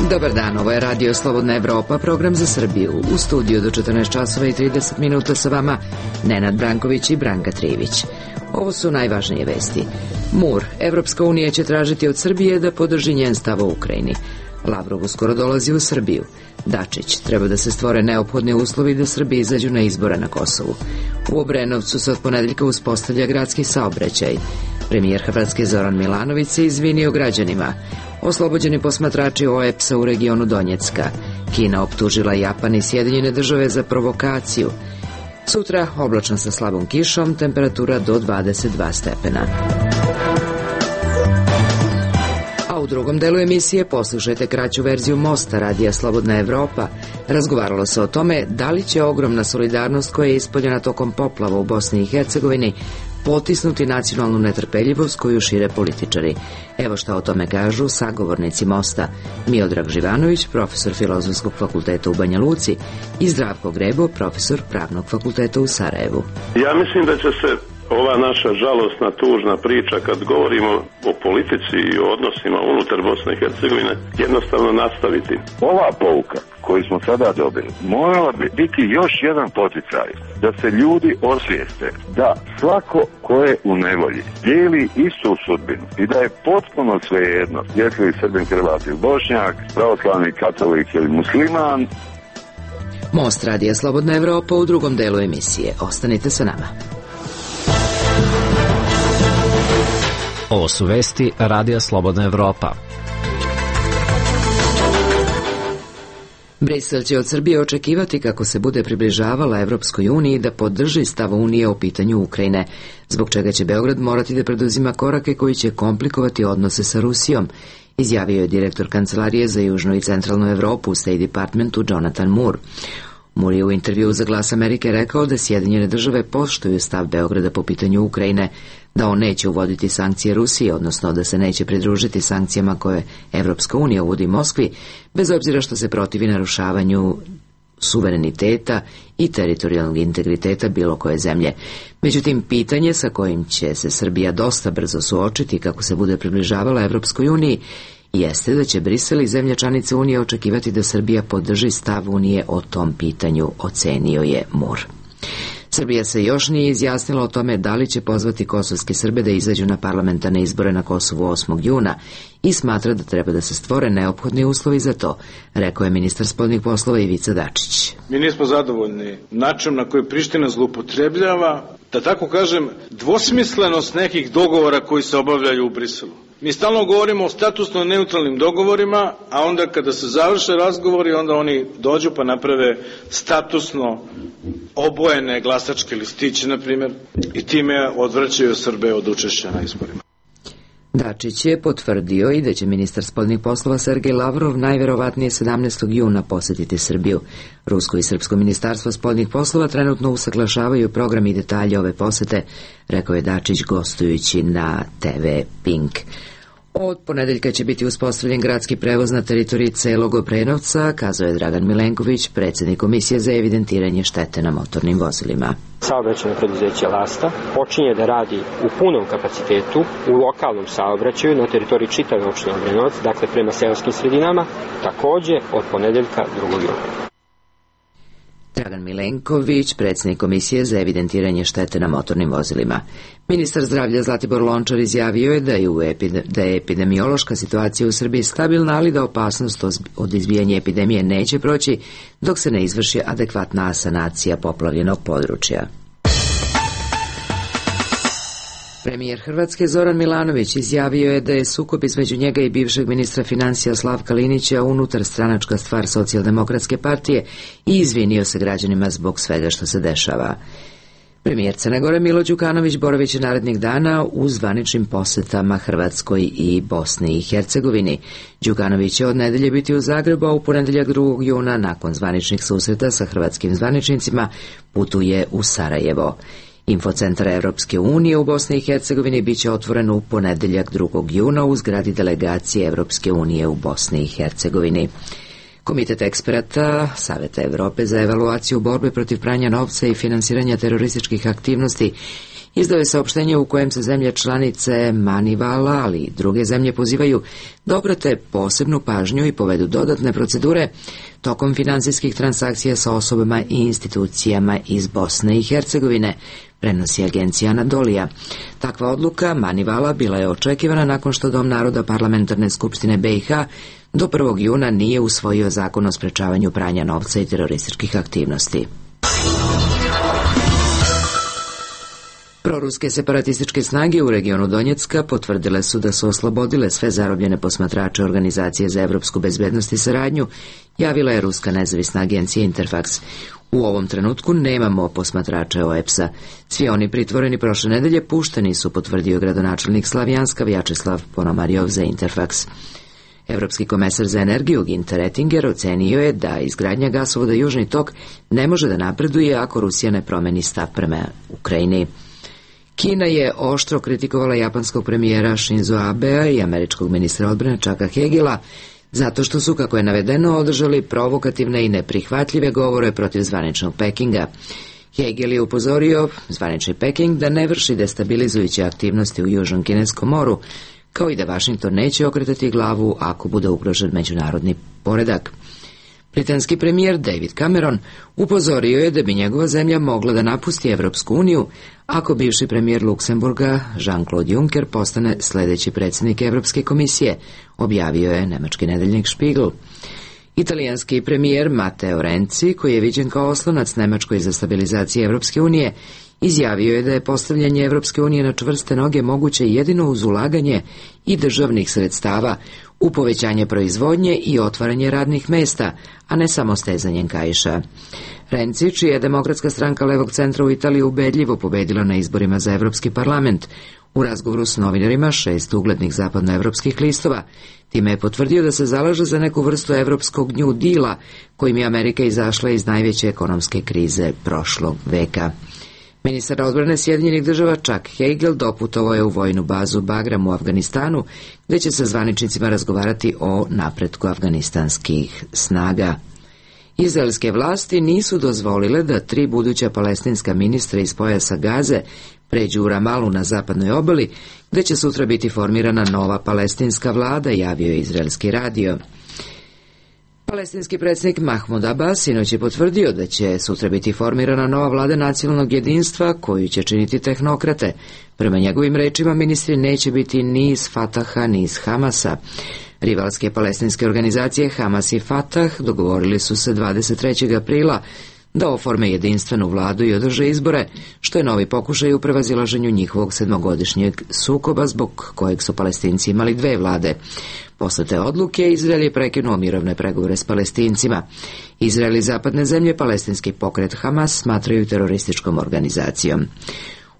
Dobar dan, ovo je Radio Slobodna Evropa, program za Srbiju. U studiju do 14 časova i 30 minuta sa vama Nenad Branković i Branka Trivić. Ovo su najvažnije vesti. Mur. Evropska unija će tražiti od Srbije da podrži njen stav o Ukrajini. Lavrov uskoro dolazi u Srbiju. Dačić. Treba da se stvore neophodni uslovi da Srbi izađu na izbore na Kosovu. U Obrenovcu se od ponedeljka uspostavlja gradski saobraćaj. Premijer Hrvatske Zoran Milanović se izvinio građanima. Oslobođeni posmatrači OEPS-a u regionu Donjecka. Kina optužila Japan i Sjedinjene države za provokaciju. Sutra oblačno sa slabom kišom, temperatura do 22 stepena. A u drugom delu emisije poslušajte kraću verziju Mosta Radija Slobodna Evropa. Razgovaralo se o tome da li će ogromna solidarnost koja je ispoljena tokom poplava u Bosni i Hercegovini potisnuti nacionalnu netrpeljivost koju šire političari. Evo šta o tome kažu sagovornici Mosta: Miodrag Živanović, profesor Filozofskog fakulteta u Banja Luci, i Zdravko Grebo, profesor Pravnog fakulteta u Sarajevu. Ja mislim da će se ova naša žalosna, tužna priča, kad govorimo o politici i o odnosima unutar Bosne i Hercegovine, jednostavno nastaviti. Ova pouka koju smo sada dobili morala bi biti još jedan poticaj da se ljudi osvijeste da svako ko je u nevolji dijeli istu sudbinu i da je potpuno svejedno jesi li Srbin, Hrvat ili Bošnjak, pravoslavni katolik ili musliman. Most Radija Slobodna Evropa u drugom delu emisije. Ostanite sa nama. Ovo su vesti Radija Slobodna Evropa. Brisel će od Srbije očekivati, kako se bude približavala Evropskoj uniji, da podrži stav Unije o pitanju Ukrajine, zbog čega će Beograd morati da preduzima korake koji će komplikovati odnose sa Rusijom, izjavio je direktor Kancelarije za Južnu i Centralnu Evropu u State Departmentu Jonathan Moore. Moore je u intervjuu za Glas Amerike rekao da Sjedinjene države poštuju stav Beograda po pitanju Ukrajine, da on neće uvoditi sankcije Rusiji, odnosno da se neće pridružiti sankcijama koje Evropska unija uvodi Moskvi, bez obzira što se protivi narušavanju suvereniteta i teritorijalnog integriteta bilo koje zemlje. Međutim, pitanje sa kojim će se Srbija dosta brzo suočiti kako se bude približavala Evropskoj uniji jeste da će Brisel i zemlje članice Unije očekivati da Srbija podrži stav Unije o tom pitanju, ocenio je Moore. Srbija se još nije izjasnila o tome da li će pozvati kosovske Srbe da izađu na parlamentarne izbore na Kosovu 8. juna i smatra da treba da se stvore neophodni uslovi za to, rekao je ministar spoljnih poslova Ivica Dačić. Mi nismo zadovoljni načinom na koji Priština zloupotrebljava, da tako kažem, dvosmislenost nekih dogovora koji se obavljaju u Briselu. Mi stalno govorimo o statusno neutralnim dogovorima, a onda kada se završe razgovori, onda oni dođu pa naprave statusno obojene glasačke listiće, na primjer, i time odvraćaju Srbe od učešća na izborima. Dačić je potvrdio i da će ministar spoljnih poslova Sergej Lavrov najverovatnije 17. juna posetiti Srbiju. Rusko i srpsko ministarstvo spoljnih poslova trenutno usaglašavaju program i detalje ove posete, rekao je Dačić gostujući na TV Pink. Od ponedeljka će biti uspostavljen gradski prevoz na teritoriji celog Obrenovca, kazao je Dragan Milenković, predsjednik Komisije za evidentiranje štete na motornim vozilima. Saobraćajno preduzeće Lasta počinje da radi u punom kapacitetu u lokalnom saobraćaju na teritoriji čitave opštine Obrenovac, dakle prema seoskim sredinama, takođe od ponedeljka 2. juna. Dragan Milenković, predsjednik Komisije za evidentiranje štete na motornim vozilima. Ministar zdravlja Zlatibor Lončar izjavio je da je epidemiološka situacija u Srbiji stabilna, ali da opasnost od izbijanja epidemije neće proći dok se ne izvrši adekvatna sanacija poplavljenog područja. Premijer Hrvatske Zoran Milanović izjavio je da je sukob između njega i bivšeg ministra financija Slavka Linića unutar stranačka stvar Socijaldemokratske partije i izvinio se građanima zbog svega što se dešava. Premijer Crne Gore Milo Đukanović boravit će narednih dana u zvaničnim posetama Hrvatskoj i Bosni i Hercegovini. Đukanović će od nedelje biti u Zagrebu, a u ponedeljak 2. juna nakon zvaničnih susreta sa hrvatskim zvaničnicima putuje u Sarajevo. Infocentar Evropske unije u Bosni i Hercegovini biće otvoren u ponedeljak 2. juna u zgradi delegacije Evropske unije u Bosni i Hercegovini. Komitet eksperata Saveta Evrope za evaluaciju borbe protiv pranja novca i finansiranja terorističkih aktivnosti izdao je saopštenje u kojem se zemlje članice Manivala, ali i druge zemlje pozivaju da obrate posebnu pažnju i povedu dodatne procedure tokom finansijskih transakcija sa osobama i institucijama iz Bosne i Hercegovine, prenosi agencija Anadolija. Takva odluka Manivala bila je očekivana nakon što Dom naroda Parlamentarne skupštine BiH do 1. juna nije usvojio zakon o sprečavanju pranja novca i terorističkih aktivnosti. Proruske separatističke snage u regionu Donjecka potvrdile su da su oslobodile sve zarobljene posmatrače Organizacije za evropsku bezbednost i saradnju, javila je ruska nezavisna agencija Interfax. U ovom trenutku nemamo posmatrače OEPS-a. Svi oni pritvoreni prošle nedelje pušteni su, potvrdio gradonačelnik Slavjanska Vjačeslav Ponomarjov za Interfax. Evropski komesar za energiju Ginter Oettinger ocenio je da izgradnja gasovoda Južni tok ne može da napreduje ako Rusija ne promeni stav prema Ukrajini. Kina je oštro kritikovala japanskog premijera Shinzo Abea i američkog ministra odbrane Chucka Hagela zato što su, kako je navedeno, održali provokativne i neprihvatljive govore protiv zvaničnog Pekinga. Hagel je upozorio zvanični Peking da ne vrši destabilizujuće aktivnosti u Južnom Kineskom moru, kao i da Vašington neće okretati glavu ako bude ugrožen međunarodni poredak. Britanski premijer David Cameron upozorio je da bi njegova zemlja mogla da napusti Evropsku uniju ako bivši premijer Luksemburga Jean-Claude Juncker postane sledeći predsjednik Evropske komisije, objavio je nemački nedeljnik Spiegel. Italijanski premijer Matteo Renzi, koji je viđen kao oslonac Nemačkoj za stabilizaciju Evropske unije, izjavio je da je postavljanje Evropske unije na čvrste noge moguće jedino uz ulaganje i državnih sredstava u povećanje proizvodnje i otvaranje radnih mesta, a ne samo stezanjem kaiša. Renzi, čija je Demokratska stranka levog centra u Italiji ubedljivo pobedila na izborima za Evropski parlament, u razgovoru s novinarima 6 uglednih zapadnoevropskih listova, time je potvrdio da se zalaže za neku vrstu evropskog New Deala, kojim je Amerika izašla iz najveće ekonomske krize prošlog veka. Ministar odbrane Sjedinjenih država Chuck Hagel doputovao je u vojnu bazu Bagram u Afganistanu, gde će sa zvaničnicima razgovarati o napretku afganistanskih snaga. Izraelske vlasti nisu dozvolile da 3 buduća palestinska ministra iz pojasa Gaze pređu u Ramalu na zapadnoj obali, gde će sutra biti formirana nova palestinska vlada, javio je izraelski radio. Palestinski predsjednik Mahmud Abbas sinoć je potvrdio da će sutra biti formirana nova vlada nacionalnog jedinstva koju će činiti tehnokrate. Prema njegovim rečima, ministri neće biti ni iz Fataha ni iz Hamasa. Rivalske palestinske organizacije Hamas i Fatah dogovorili su se 23. aprila da oforme jedinstvenu vladu i održe izbore, što je novi pokušaj u prevazilaženju njihovog 7-godišnjeg sukoba zbog kojeg su Palestinci imali 2 vlade. Posle te odluke Izrael je prekinuo mirovne pregovore s Palestincima. Izrael i zapadne zemlje palestinski pokret Hamas smatraju terorističkom organizacijom.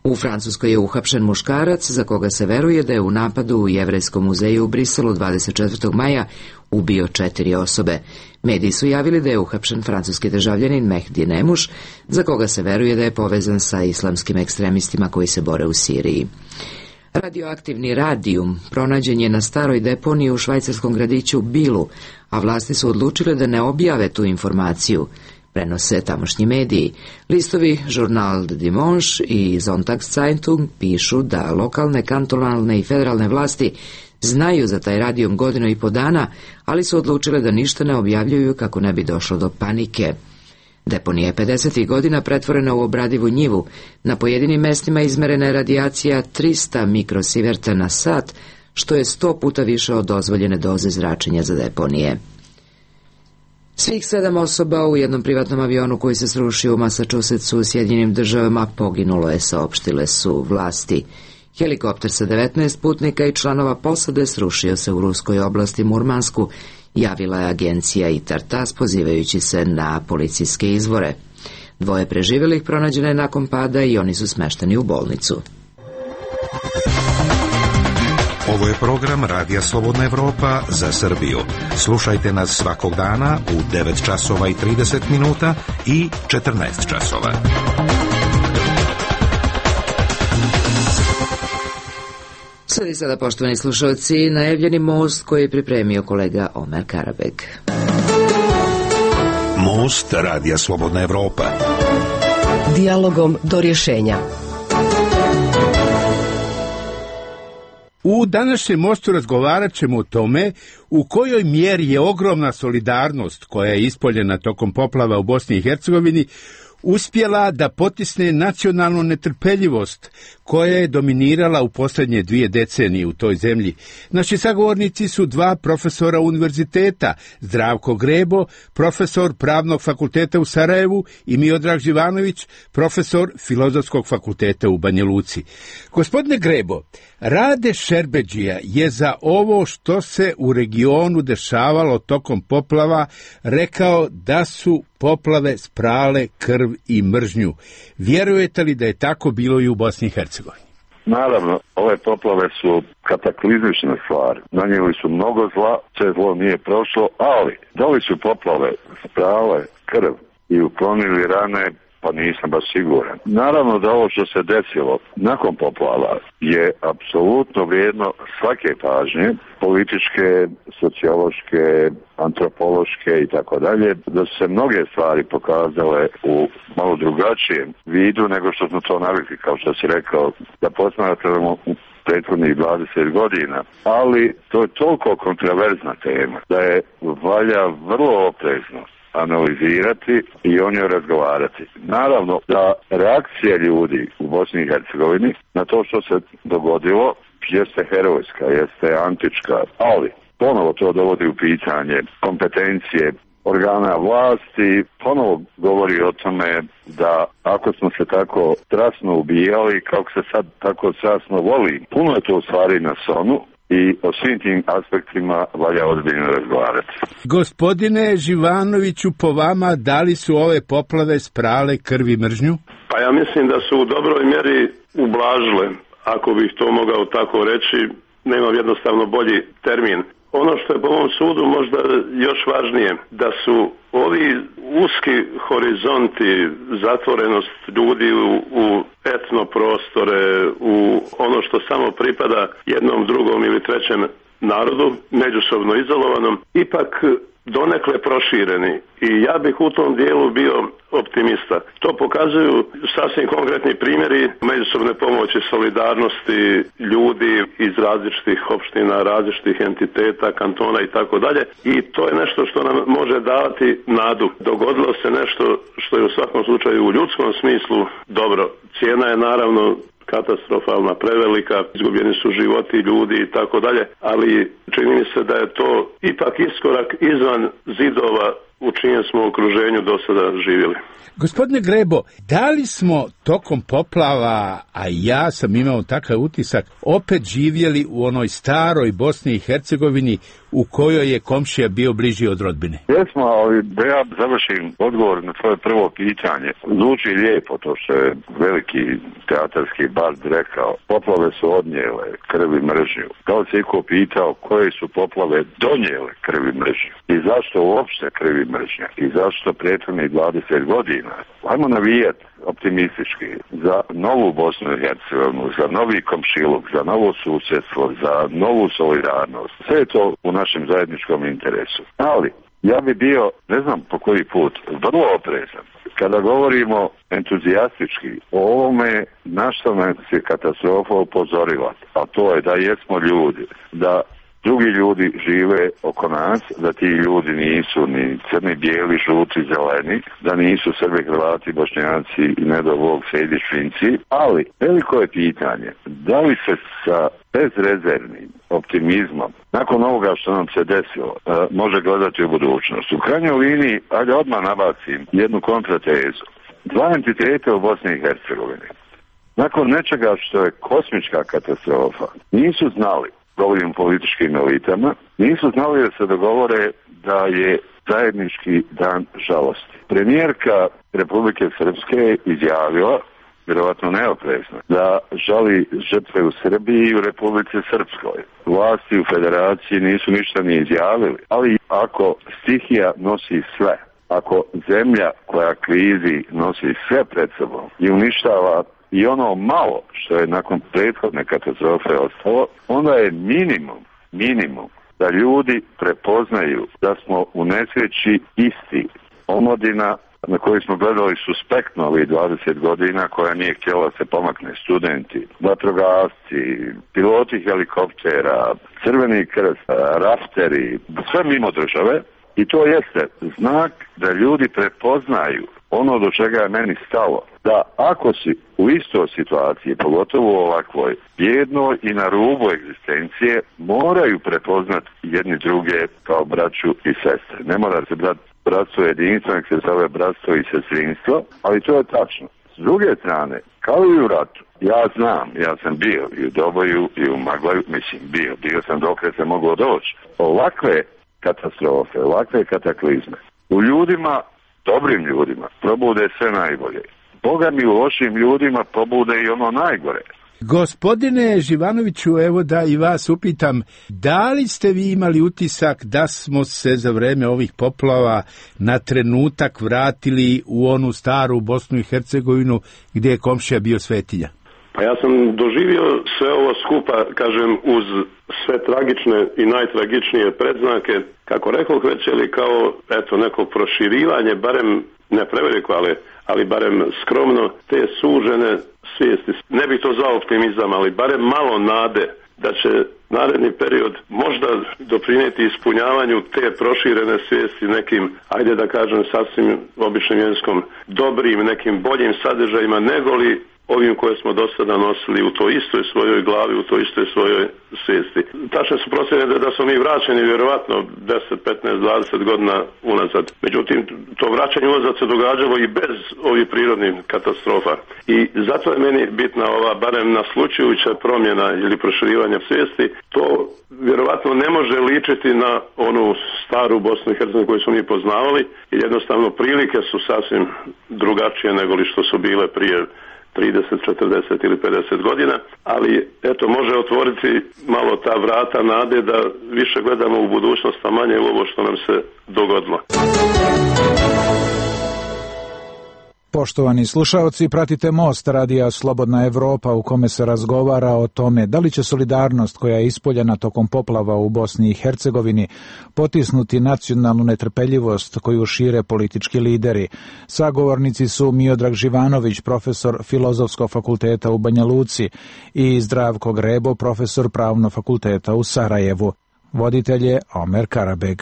U Francuskoj je uhapšen muškarac za koga se veruje da je u napadu u Jevrejskom muzeju u Briselu 24. maja ubio 4 osobe. Mediji su javili da je uhapšen francuski državljanin Mehdi Nemuš, za koga se veruje da je povezan sa islamskim ekstremistima koji se bore u Siriji. Radioaktivni radijum pronađen je na staroj deponiji u švajcarskom gradiću Bilu, a vlasti su odlučile da ne objave tu informaciju, prenose tamošnji mediji. Listovi Journal de Dimanche i Sonntagszeitung pišu da lokalne, kantonalne i federalne vlasti znaju za taj radijum 1,5 godina, ali su odlučile da ništa ne objavljuju kako ne bi došlo do panike. Deponija je 50. godina pretvorena u obradivu njivu. Na pojedinim mestima izmerena je radijacija 300 mikrosiverta na sat, što je 100 puta više od dozvoljene doze zračenja za deponije. Svih 7 osoba u jednom privatnom avionu koji se srušio u Massachusettsu u Sjedinjenim državama poginulo je, saopštile su vlasti. Helikopter sa 19 putnika i članova posade srušio se u ruskoj oblasti Murmansku, javila je agencija ITAR-TASS pozivajući se na policijske izvore. 2 preživelih pronađeno je nakon pada i oni su smešteni u bolnicu. Ovo je program Radija Slobodna Evropa za Srbiju. Slušajte nas svakog dana u 9 časova i 30 minuta i 14 časova. Sledi sada, poštovani slušalci, najavljeni most koji je pripremio kolega Omer Karabek. Most Radija Slobodna Evropa. Dijalogom do rješenja. U današnjem mostu razgovarat ćemo o tome u kojoj mjeri je ogromna solidarnost koja je ispoljena tokom poplava u Bosni i Hercegovini uspjela da potisne nacionalnu netrpeljivost koja je dominirala u posljednje 2 decenije u toj zemlji. Naši sagovornici su 2 profesora univerziteta, Zdravko Grebo, profesor Pravnog fakulteta u Sarajevu, i Miodrag Živanović, profesor Filozofskog fakulteta u Banja Luci. Gospodine Grebo, Rade Šerbedžija je za ovo što se u regionu dešavalo tokom poplava rekao da su poplave sprale krv i mržnju. Vjerujete li da je tako bilo i u Bosni i Hercegovini? Naravno, ove poplave su kataklizmične stvari. Nanijeli su mnogo zla, sve zlo nije prošlo, ali da li su poplave sprale krv i uklonili rane, pa nisam baš siguran. Naravno da ovo što se desilo nakon poplava je apsolutno vrijedno svake pažnje, političke, sociološke, antropološke i tako dalje, da su se mnoge stvari pokazale u malo drugačijem vidu nego što smo to navikli, kao što si rekao, da posmatramo u prethodnih 20 godina. Ali to je toliko kontroverzna tema da je valja vrlo oprezno analizirati i o njoj razgovarati. Naravno da reakcija ljudi u Bosni i Hercegovini na to što se dogodilo jeste herojska, jeste antička, ali ponovo to dovodi u pitanje kompetencije organa vlasti, ponovo govori o tome da ako smo se tako strasno ubijali, kako se sad tako strasno voli, puno je to u stvari na sonu i o svim tim aspektima valja ozbiljno razgovarati. Gospodine Živanoviću, po vama, da li su ove poplave sprale krv i mržnju? Pa ja mislim da su u dobroj mjeri ublažile, ako bih to mogao tako reći, nemam jednostavno bolji termin. Ono što je po mom sudu možda još važnije, da su ovi uski horizonti, zatvorenost ljudi u etnoprostore, u ono što samo pripada jednom, drugom ili trećem narodu, međusobno izolovanom, ipak donekle prošireni. I ja bih u tom dijelu bio optimista. To pokazuju sasvim konkretni primjeri međusobne pomoći, solidarnosti ljudi iz različitih opština, različitih entiteta, kantona i tako dalje. I to je nešto što nam može davati nadu. Dogodilo se nešto što je u svakom slučaju u ljudskom smislu dobro. Cijena je naravno katastrofalna, prevelika, izgubljeni su životi ljudi i tako dalje, ali čini mi se da je to ipak iskorak izvan zidova u čijem smo okruženju do sada živjeli. Gospodine Grebo, da li smo tokom poplava, a ja sam imao takav utisak, opet živjeli u onoj staroj Bosni i Hercegovini u kojoj je komšija bio bliži od rodbine? Jesmo, ali da ja završim odgovor na tvoje prvo pitanje. Zvuči lijepo to što je veliki teatarski bard rekao. Poplave su odnijele krv i mržnju. Da li se iko pitao koje su poplave donijele krv i mržnju? I zašto uopšte krv i mržnja? I zašto prethodnih 20 godina? Ajmo navijati optimistički za novu Bosnu i Hercegovinu, za novi komšiluk, za novo susjedstvo, za novu solidarnost. Sve je to u našem zajedničkom interesu. Ali ja bi bio, ne znam po koji put, vrlo oprezan. Kada govorimo entuzijastički o ovome, na što nas je katastrofa upozorila, a to je da jesmo ljudi, da drugi ljudi žive oko nas, da ti ljudi nisu ni crni, bijeli, žuti, zeleni, da nisu Srbi, Hrvati, Bošnjaci i ne do Bog Sejdić, Finci, ali veliko je pitanje da li se sa bezrezervnim optimizmom nakon ovoga što nam se desilo može gledati u budućnost. U krajnjoj liniji, ajde odmah nabacim jednu kontratezu. 2 entiteta u Bosni i Hercegovini nakon nečega što je kosmička katastrofa nisu znali, govorim političkim elitama, nisu znali da se dogovore da je zajednički dan žalosti. Premijerka Republike Srpske izjavila, vjerovatno neoprezno, da žali žrtve u Srbiji i u Republici Srpskoj. Vlasti u federaciji nisu ništa ni izjavili, ali ako stihija nosi sve, ako zemlja koja klizi nosi sve pred sobom i uništava i ono malo što je nakon prethodne katastrofe ostalo, onda je minimum da ljudi prepoznaju da smo u nesreći isti. Omladina, na koji smo gledali suspektno ovih 20 godina, koja nije htjela se pomakne, studenti, vatrogasci, piloti helikoptera, Crveni krst, rafteri, sve mimo države. I to jeste znak da ljudi prepoznaju ono do čega je meni stalo, da ako si u istoj situaciji, pogotovo u ovakvoj bijednoj i na rubu egzistencije, moraju prepoznati jedni druge kao braću i sestre. Ne mora se bratstvo jedinstvo, nek se zove bratstvo i sestrinstvo, ali to je tačno. S druge strane, kao i u ratu, ja znam, ja sam bio i u Doboju i u Maglaju, bio sam dok se moglo doći. Ovakve katastrofe, ovakve kataklizme u ljudima, dobrim ljudima, probude sve najbolje. Boga mi u lošim ljudima probude i ono najgore. Gospodine Živanoviću, evo da i vas upitam, da li ste vi imali utisak da smo se za vreme ovih poplava na trenutak vratili u onu staru Bosnu i Hercegovinu gdje je komšija bio svetinja? Pa ja sam doživio sve ovo skupa, kažem, uz sve tragične i najtragičnije predznake, kako rekoh već, ili kao eto neko proširivanje, barem ne preveliko, ali barem skromno, te sužene svijesti. Ne bih to zvao optimizam, ali barem malo nade da će naredni period možda doprinijeti ispunjavanju te proširene svijesti nekim, ajde da kažem sasvim običnim jezikom, dobrim, nekim boljim sadržajima negoli ovim koje smo do sada nosili u toj istoj svojoj glavi, u toj istoj svojoj svijesti. Tačne su procjene da smo mi vraćeni vjerovatno 10, 15, 20 godina unazad. Međutim, to vraćanje unazad se događalo i bez ovih prirodnih katastrofa. I zato je meni bitna ova, barem naslučujuća promjena ili proširivanja svijesti. To vjerovatno ne može ličiti na onu staru Bosnu i Hercegovinu koju smo mi poznavali, jer jednostavno prilike su sasvim drugačije nego li što su bile prije 30, 40 ili 50 godina, ali eto može otvoriti malo ta vrata nade da više gledamo u budućnost, a manje u ovo što nam se dogodilo. Poštovani slušaoci, pratite Most radija Slobodna Evropa u kome se razgovara o tome da li će solidarnost koja je ispoljena tokom poplava u Bosni i Hercegovini potisnuti nacionalnu netrpeljivost koju šire politički lideri. Sagovornici su Miodrag Živanović, profesor Filozofskog fakulteta u Banja Luci, i Zdravko Grebo, profesor Pravnog fakulteta u Sarajevu. Voditelj je Omer Karabeg.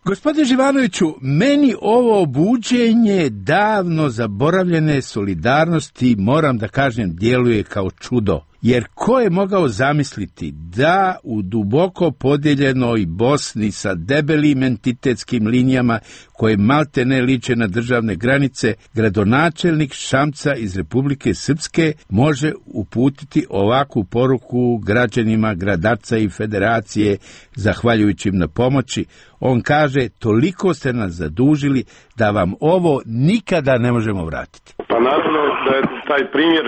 Gospodine Živanoviću, meni ovo buđenje davno zaboravljene solidarnosti, moram da kažem, djeluje kao čudo. Jer ko je mogao zamisliti da u duboko podijeljenoj Bosni sa debelim entitetskim linijama koje malte ne liče na državne granice, gradonačelnik Šamca iz Republike Srpske može uputiti ovakvu poruku građanima Gradaca i Federacije, zahvaljujući im na pomoći. On kaže, toliko ste nas zadužili da vam ovo nikada ne možemo vratiti. Pa naravno da je taj primjer,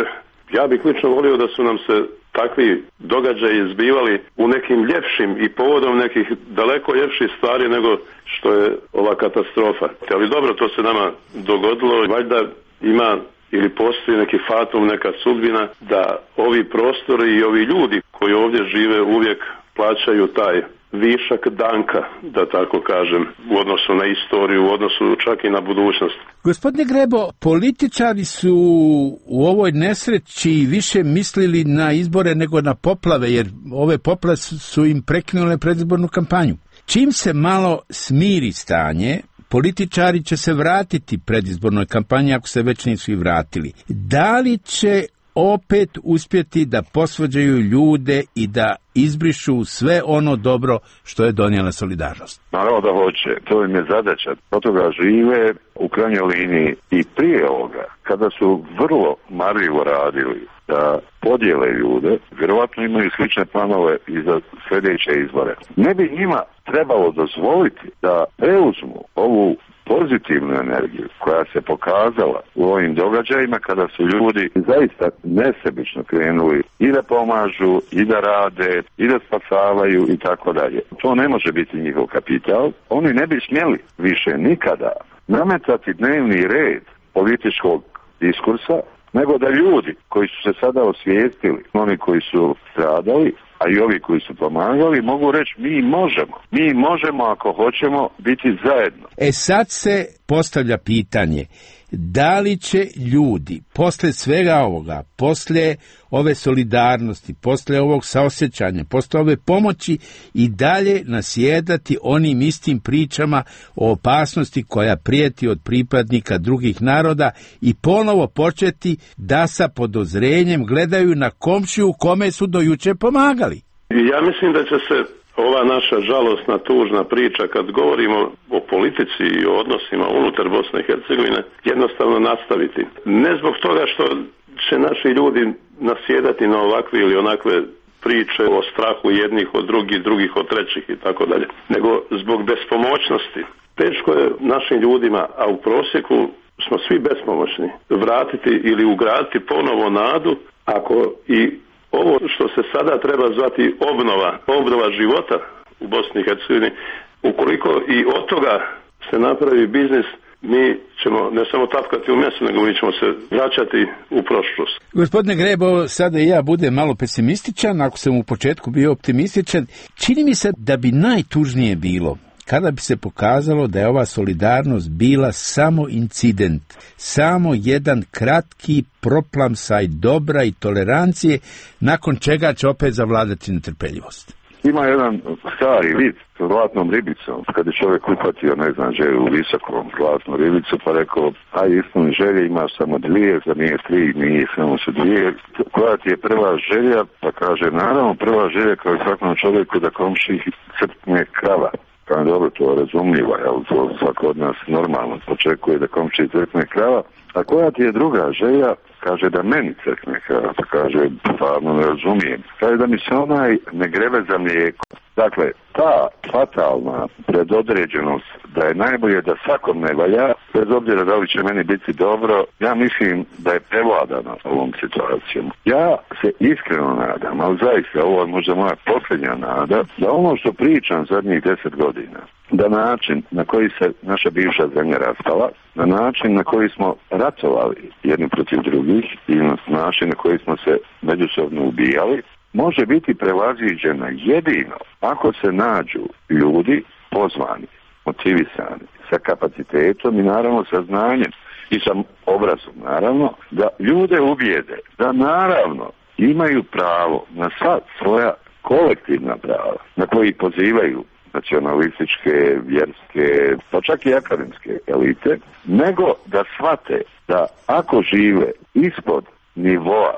ja bih lično volio da su nam se takvi događaji izbivali u nekim ljepšim i povodom nekih daleko ljepših stvari nego što je ova katastrofa. Ali dobro, to se nama dogodilo, valjda ima ili postoji neki fatum, neka sudbina da ovi prostori i ovi ljudi koji ovdje žive uvijek plaćaju taj višak danka, da tako kažem, u odnosu na istoriju, u odnosu čak i na budućnost. Gospodine Grebo, političari su u ovoj nesreći više mislili na izbore nego na poplave, jer ove poplave su im prekinule predizbornu kampanju. Čim se malo smiri stanje, političari će se vratiti predizbornoj kampanji ako se već nisu i vratili. Da li će opet uspjeti da posvađaju ljude i da izbrišu sve ono dobro što je donijela solidarnost? Naravno da hoće, to im je zadaća. Od toga žive u krajnjoj liniji i prije ovoga, kada su vrlo marljivo radili da podijele ljude, vjerovatno imaju slične planove i za sljedeće izbore. Ne bi njima trebalo dozvoliti da preuzmu ovu pozitivnu energiju koja se pokazala u ovim događajima kada su ljudi zaista nesebično krenuli i da pomažu, i da rade, i da spasavaju i tako dalje. To ne može biti njihov kapital. Oni ne bi smjeli više nikada nametati dnevni red političkog diskursa, nego da ljudi koji su se sada osvijestili, oni koji su stradali, a i ovi koji su pomagali, mogu reći mi možemo ako hoćemo biti zajedno. Sad se postavlja pitanje, da li će ljudi posle svega ovoga, posle ove solidarnosti, posle ovog saosjećanja, posle ove pomoći i dalje nasjedati onim istim pričama o opasnosti koja prijeti od pripadnika drugih naroda i ponovo početi da sa podozrenjem gledaju na komšiju kome su do juče pomagali? Ja mislim da će se ova naša žalosna, tužna priča, kad govorimo o politici i o odnosima unutar Bosne i Hercegovine, jednostavno nastaviti. Ne zbog toga što će naši ljudi nasjedati na ovakve ili onakve priče o strahu jednih od drugih od trećih i tako dalje, nego zbog bespomoćnosti. Teško je našim ljudima, a u prosjeku smo svi bespomoćni, vratiti ili ugraditi ponovo nadu, ako i ovo što se sada treba zvati obnova života u Bosni i Hercegovini, ukoliko i od toga se napravi biznis, mi ćemo ne samo tapkati u mesu, nego mi ćemo se vraćati u prošlost. Gospodine Grebo, sada i ja budem malo pesimističan, ako sam u početku bio optimističan. Čini mi se da bi najtužnije bilo kada bi se pokazalo da je ova solidarnost bila samo incident, samo jedan kratki proplamsaj dobra i tolerancije, nakon čega će opet zavladati netrpeljivost. Ima jedan stari vid s zlatnom ribicom, kad je čovjek uhvatio, želju u visokom zlatnu ribicu, pa rekao, ispuni želje, imaš samo dvije, za nije tri, nije samo su dvije. Koja ti je prva želja? Pa kaže, naravno, prva želja kao i svakom čovjeku da komši crkne krava. Kao dobro, to razumljivo, to svako od nas normalno očekuje da komši crkne krava. A koja ti je druga želja? Kaže da meni crkne krava, pa kaže, stvarno ne razumijem. Kaže da mi se onaj ne grebe za mlijeko. Dakle, ta fatalna predodređenost da je najbolje da svakom ne valja, bez obzira da li će meni biti dobro, ja mislim da je prevladana ovom situacijom. Ja se iskreno nadam, ali zaista ovo je možda moja posljednja nada, da ono što pričam zadnjih 10 godina, da način na koji se naša bivša zemlja raspala, na način na koji smo ratovali jedni protiv drugih i na način na koji smo se međusobno ubijali, može biti prevaziđena jedino ako se nađu ljudi pozvani, motivisani, sa kapacitetom i naravno sa znanjem i sa obrazom, naravno, da ljude ubijede, da naravno imaju pravo na sva svoja kolektivna prava na koji pozivaju nacionalističke, vjerske, pa čak i akademske elite, nego da shvate da ako žive ispod nivoa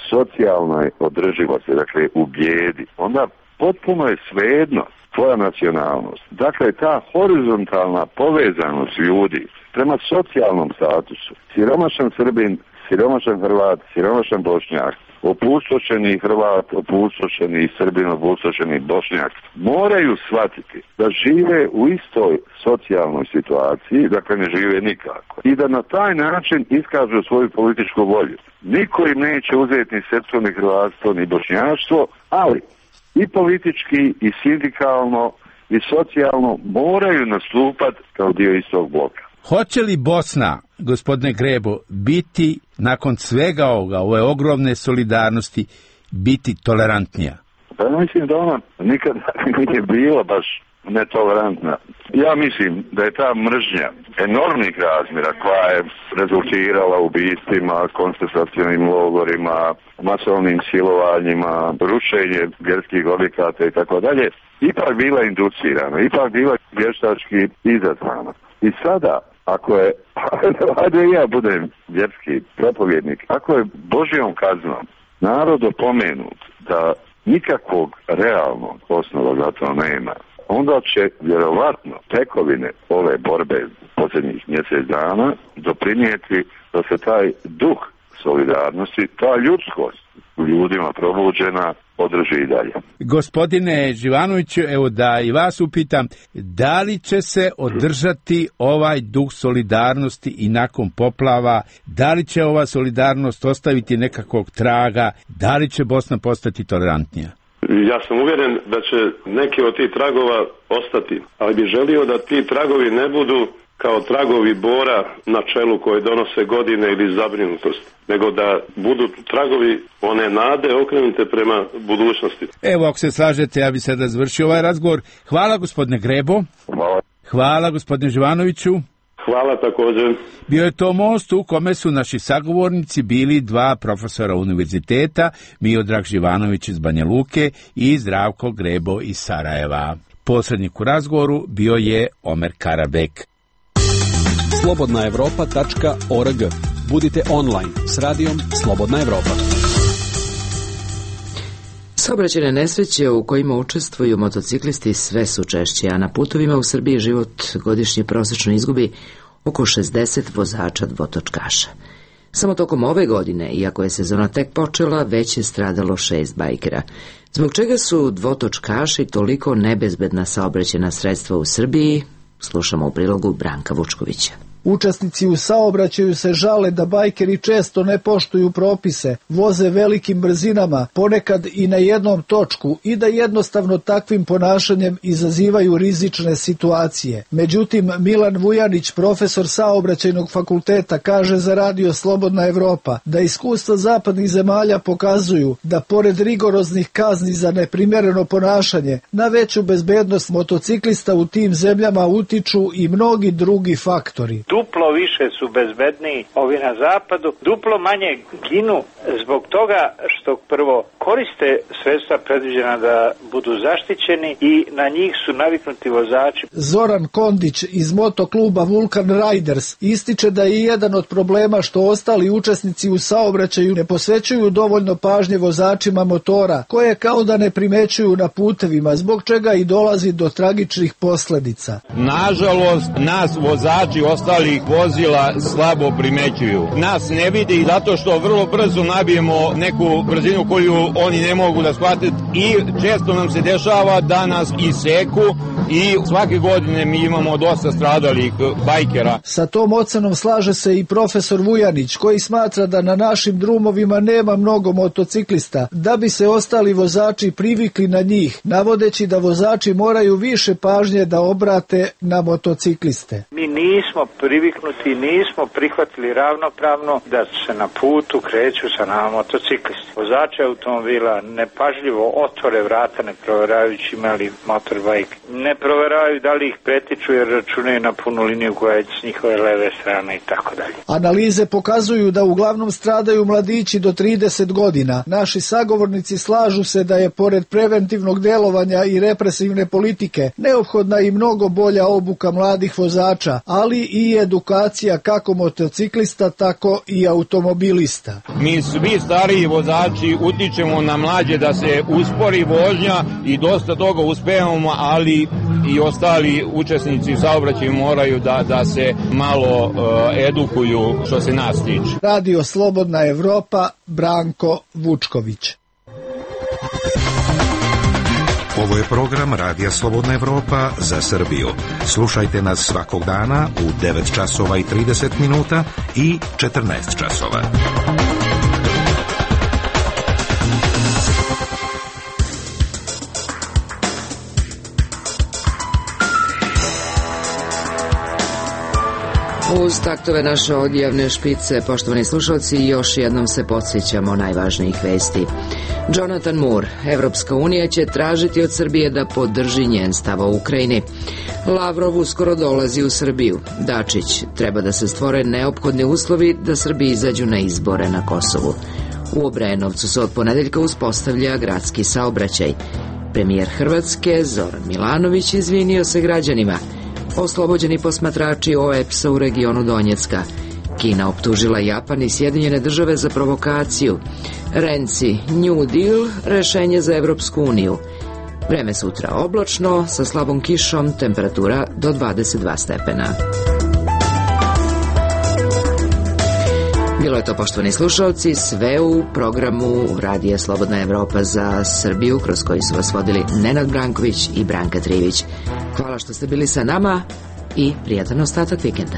socijalnoj održivosti, dakle u bijedi, onda potpuno je svejedno tvoja nacionalnost. Dakle, ta horizontalna povezanost ljudi prema socijalnom statusu, siromašan Srbin, siromašan Hrvat, siromašan Bošnjak, opustošeni Hrvat, opustošeni Srbin, opustošeni Bošnjak, moraju shvatiti da žive u istoj socijalnoj situaciji, dakle ne žive nikako. I da na taj način iskažu svoju političku volju. Niko im neće uzeti ni srpstvo, ni hrvatstvo, ni bošnjaštvo, ali i politički, i sindikalno, i socijalno moraju nastupati kao dio istog bloka. Hoće li Bosna, gospodine Grebo, biti nakon svega ovoga, ove ogromne solidarnosti, biti tolerantnija? Pa mislim da ona nikada nije bila baš netolerantna. Ja mislim da je ta mržnja enormnih razmjera koja je rezultirala ubistvima, koncentracionim logorima, masovnim silovanjima, rušenje vjerskih objekata i tako dalje, ipak bila inducirana, ipak bila vještački izazvana. I sada, ako je, da ja budem vjerski propovjednik, ako je Božjom kaznom narod opomenut da nikakvog realnog osnova za to nema, onda će vjerovatno tekovine ove borbe posljednjih mjesec dana doprinijeti da se taj duh solidarnosti, ta ljudskost u ljudima probuđena održi i dalje. Gospodine Živanoviću, evo da i vas upitam, da li će se održati ovaj duh solidarnosti i nakon poplava, da li će ova solidarnost ostaviti nekakvog traga, da li će Bosna postati tolerantnija? Ja sam uvjeren da će neki od tih tragova ostati, ali bih želio da ti tragovi ne budu kao tragovi bora na čelu koje donose godine ili zabrinutost, nego da budu tragovi one nade okrenute prema budućnosti. Evo, ako se slažete, ja bi sada završio ovaj razgovor. Hvala gospodine Grebo. Hvala. Hvala gospodine Živanoviću. Hvala također. Bio je to most u kome su naši sagovornici bili dva profesora univerziteta, Miodrag Živanović iz Banja Luke i Zdravko Grebo iz Sarajeva. Posrednik u razgovoru bio je Omer Karabek. slobodnaevropa.org. Budite online s radijom Slobodna Evropa. Saobraćajne nesreće u kojima učestvuju motociklisti sve su češće, a na putovima u Srbiji život godišnje prosečno izgubi oko 60 vozača dvotočkaša. Samo tokom ove godine, iako je sezona tek počela, već je stradalo 6 bajkera. Zbog čega su dvotočkaši toliko nebezbedna saobraćajna sredstva u Srbiji, slušamo u prilogu Branka Vučkovića. Učesnici u saobraćaju se žale da bajkeri često ne poštuju propise, voze velikim brzinama, ponekad i na jednom točku i da jednostavno takvim ponašanjem izazivaju rizične situacije. Međutim, Milan Vujanić, profesor saobraćajnog fakulteta, kaže za Radio Slobodna Evropa da iskustva zapadnih zemalja pokazuju da pored rigoroznih kazni za neprimjereno ponašanje, na veću bezbednost motociklista u tim zemljama utiču i mnogi drugi faktori. Duplo više su bezbedniji ovi na zapadu, duplo manje ginu zbog toga što prvo koriste sredstva predviđena da budu zaštićeni i na njih su naviknuti vozači. Zoran Kondić iz motokluba Vulcan Riders ističe da je jedan od problema što ostali učesnici u saobraćaju ne posvećuju dovoljno pažnje vozačima motora, koje kao da ne primećuju na putevima, zbog čega i dolazi do tragičnih posljedica. Nažalost, nas vozači ostalih vozila slabo primećuju. Nas ne vidi zato što vrlo brzo nabijemo neku brzinu koju oni ne mogu da shvate i često nam se dešava da nas iseku i svake godine mi imamo dosta stradalih bajkera. Sa tom ocenom slaže se i profesor Vujanić, koji smatra da na našim drumovima nema mnogo motociklista, da bi se ostali vozači privikli na njih, navodeći da vozači moraju više pažnje da obrate na motocikliste. Mi nismo priviknuti, nismo prihvatili ravnopravno da se na putu kreću sa nama motociklisti. Vozači automobila nepažljivo otvore vrata ne provjerajući imali motorbajk. Ne provjeravaju da li ih pretiču jer računaju na punu liniju koja je s njihove leve strane i tako dalje. Analize pokazuju da uglavnom stradaju mladići do 30 godina. Naši sagovornici slažu se da je pored preventivnog delovanja i represivne politike neophodna i mnogo bolja obuka mladih vozača, ali i edukacija kako motociklista, tako i automobilista. Mi svi stariji vozači utičemo na mlađe da se uspori vožnja i dosta toga uspevamo, ali i ostali učesnici u saobraćaju moraju da se malo edukuju što se nas tiče. Radio Slobodna Evropa, Branko Vučković. Ovo je program Radija Slobodna Evropa za Srbiju. Slušajte nas svakog dana u 9 časova i 30 minuta i 14 časova. Uz taktove naše odjavne špice, poštovani slušalci, još jednom se podsjećamo najvažnijih vesti. Jonathan Moore, Evropska unija će tražiti od Srbije da podrži njen stav o Ukrajini. Lavrov uskoro dolazi u Srbiju. Dačić, treba da se stvore neophodni uslovi da Srbi izađu na izbore na Kosovu. U Obrenovcu se od ponedeljka uspostavlja gradski saobraćaj. Premijer Hrvatske, Zoran Milanović, izvinio se građanima. Oslobođeni posmatrači OEPS-a u regionu Donjecka. Kina optužila Japan i Sjedinjene države za provokaciju. Renci, New Deal, rešenje za Evropsku uniju. Vreme sutra oblačno, sa slabom kišom, temperatura do 22 stepena. Bilo je to, poštovani slušalci, sve u programu Radija Slobodna Evropa za Srbiju, kroz koji su vas vodili Nenad Branković i Branka Trivić. Hvala što ste bili sa nama i prijatan ostatak vikenda.